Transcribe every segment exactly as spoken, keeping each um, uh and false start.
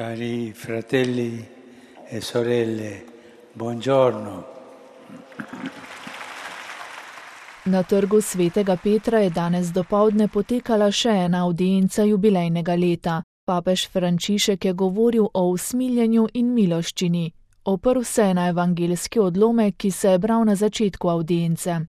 Cari fratelli e sorelle, buongiorno. Na trgu svetega Petra je danes dopoldne potekala še ena avdienca jubilejnega leta. Papež Frančišek je govoril o usmiljenju in miloščini. Oprl se je na evangeljski odlomek, ki se je bral na začetku avdience.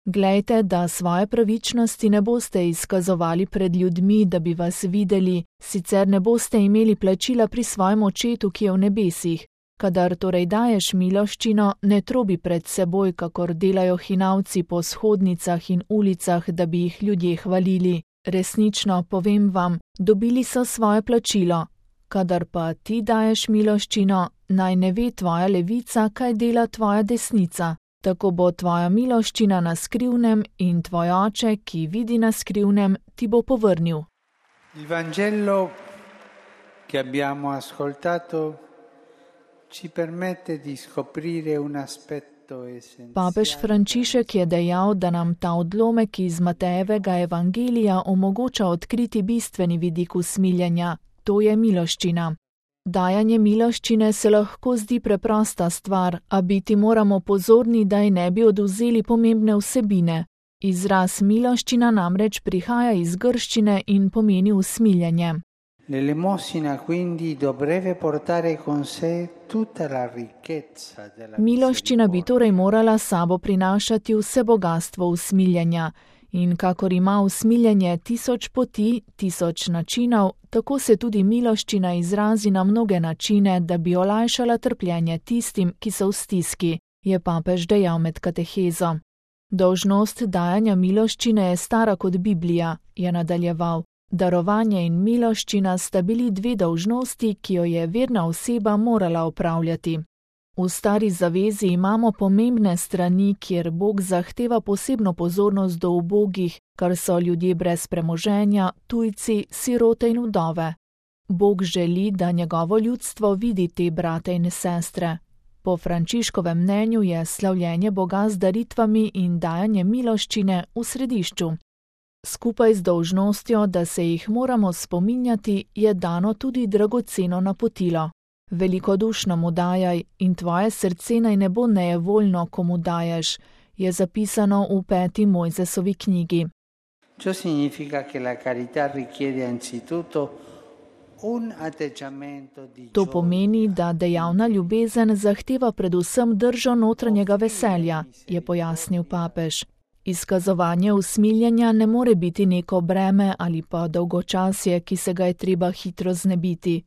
Glejte, da svoje pravičnosti ne boste izkazovali pred ljudmi, da bi vas videli, sicer ne boste imeli plačila pri svojem očetu, ki je v nebesih. Kadar torej daješ miloščino, ne trobi pred seboj, kakor delajo hinavci po shodnicah in ulicah, da bi jih ljudje hvalili. Resnično, povem vam, dobili so svoje plačilo. Kadar pa ti daješ miloščino, naj ne ve tvoja levica, kaj dela tvoja desnica. Tako bo tvoja miloščina na skrivnem in tvoj oče, ki vidi na skrivnem, ti bo povrnil. Il Vangelo che abbiamo ascoltato ci permette di scoprire un aspetto essenziale. Papež Frančišek je dejal, da nam ta odlomek iz Matejevega evangelija omogoča odkriti bistveni vidik usmiljenja, to je miloščina. Dajanje miloščine se lahko zdi preprosta stvar, a biti moramo pozorni, da ji ne bi odvzeli pomembne vsebine. Izraz miloščina namreč prihaja iz grščine in pomeni usmiljenje. L'elemosina quindi dovrebbe portare con sé tutta la ricchezza della Miloščina bi torej morala sabo prinašati vse bogastvo usmiljenja. In kakor ima usmiljenje tisoč poti, tisoč načinov, tako se tudi miloščina izrazi na mnoge načine, da bi olajšala trpljenje tistim, ki so v stiski, je papež dejal med katehezo. Dolžnost dajanja miloščine je stara kot Biblija, je nadaljeval. Darovanje in miloščina sta bili dve dolžnosti, ki jo je verna oseba morala opravljati. V stari zavezi imamo pomembne strani, kjer Bog zahteva posebno pozornost do ubogih, kar so ljudje brez premoženja, tujci, sirote in vdove. Bog želi, da njegovo ljudstvo vidi te brate in sestre. Po Frančiškovem mnenju je slavljenje Boga z daritvami in dajanje miloščine v središču. Skupaj z dolžnostjo, da se jih moramo spominjati, je dano tudi dragoceno napotilo. Velikodušno mu dajaj in tvoje srce naj ne bo nejevoljno, ko mu daješ, je zapisano v peti Mojzesovi knjigi. Ciò significa che la carità richiede anzitutto un atteggiamento di To pomeni, da dejavna ljubezen zahteva predvsem držo notranjega veselja, je pojasnil papež. Izkazovanje usmiljenja ne more biti neko breme ali pa dolgočasje, ki se ga je treba hitro znebiti.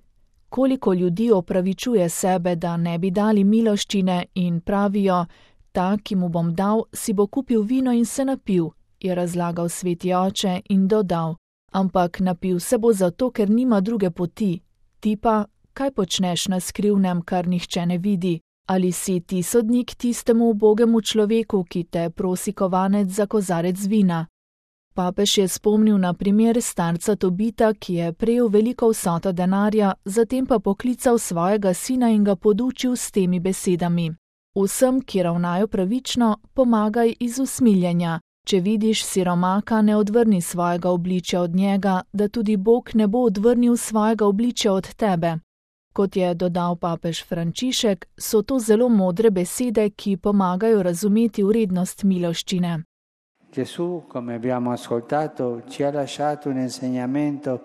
Koliko ljudi opravičuje sebe, da ne bi dali miloščine in pravijo, ta, ki mu bom dal, si bo kupil vino in se napil, je razlagal sveti oče in dodal, ampak napil se bo zato, ker nima druge poti. Ti pa, kaj počneš na skrivnem, kar nihče ne vidi? Ali si ti sodnik tistemu ubogemu človeku, ki te prosi kovanec za kozarec vina? Papež je spomnil na primer starca Tobita, ki je prejel veliko vsoto denarja, zatem pa poklical svojega sina in ga podučil s temi besedami. Vsem, ki ravnajo pravično, pomagaj iz usmiljenja. Če vidiš siromaka, ne odvrni svojega obličja od njega, da tudi Bog ne bo odvrnil svojega obličja od tebe. Kot je dodal papež Frančišek, so to zelo modre besede, ki pomagajo razumeti vrednost miloščine. Gesù, come abbiamo ascoltato, ci ha lasciato un insegnamento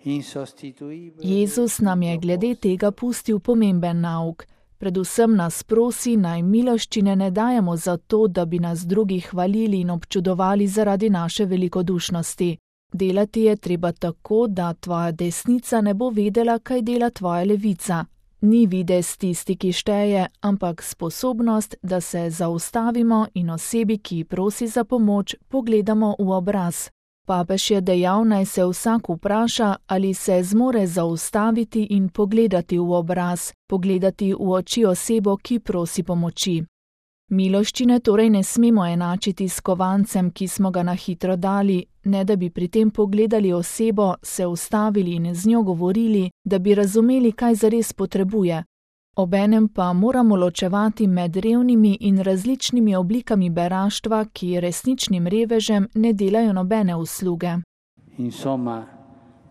insostituibile. Jezus nam je glede tega pustil pomemben nauk. Predvsem nas prosi, naj miloščine ne dajemo zato, da bi nas drugi hvalili in občudovali zaradi naše velikodušnosti. Delati je treba tako, da tvoja desnica ne bo vedela, kaj dela tvoja levica. Ni videz tisti, ki šteje, ampak sposobnost, da se zaustavimo in osebi, ki prosi za pomoč, pogledamo v obraz. Papež je dejal, naj se vsak vpraša, ali se zmore zaustaviti in pogledati v obraz, pogledati v oči osebo, ki prosi pomoči. Miloščine torej ne smemo enačiti s kovancem, ki smo ga na hitro dali, ne da bi pri tem pogledali osebo, se ustavili in z njo govorili, da bi razumeli, kaj zares potrebuje. Obenem pa moramo ločevati med revnimi in različnimi oblikami beraštva, ki resničnim revežem ne delajo nobene usluge. Insomma,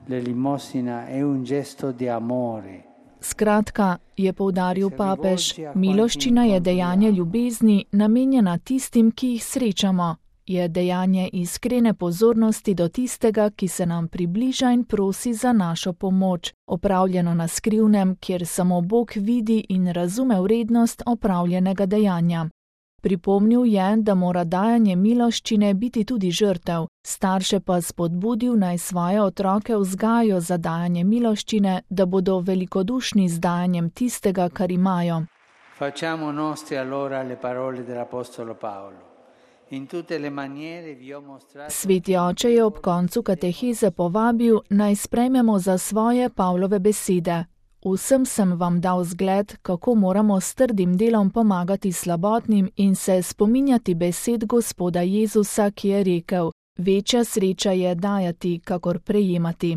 l'elemosina è un gesto di amore Skratka, je poudaril papež, miloščina je dejanje ljubezni, namenjena tistim, ki jih srečamo. Je dejanje iskrene pozornosti do tistega, ki se nam približa in prosi za našo pomoč, opravljeno na skrivnem, kjer samo Bog vidi in razume vrednost opravljenega dejanja. Pripomnil je, da mora dajanje miloščine biti tudi žrtev, starše pa spodbudil naj svoje otroke vzgajajo za dajanje miloščine, da bodo velikodušni z dajanjem tistega, kar imajo. Facciamo nostri allora le parole dell'apostolo Paolo. In tutte le maniere vi ho mostrato... Sveti oče je ob koncu kateheze povabil, naj sprejmemo za svoje Pavlove besede. Vsem sem vam dal zgled, kako moramo s trdim delom pomagati slabotnim in se spominjati besed Gospoda Jezusa, ki je rekel: večja sreča je dajati, kakor prejemati.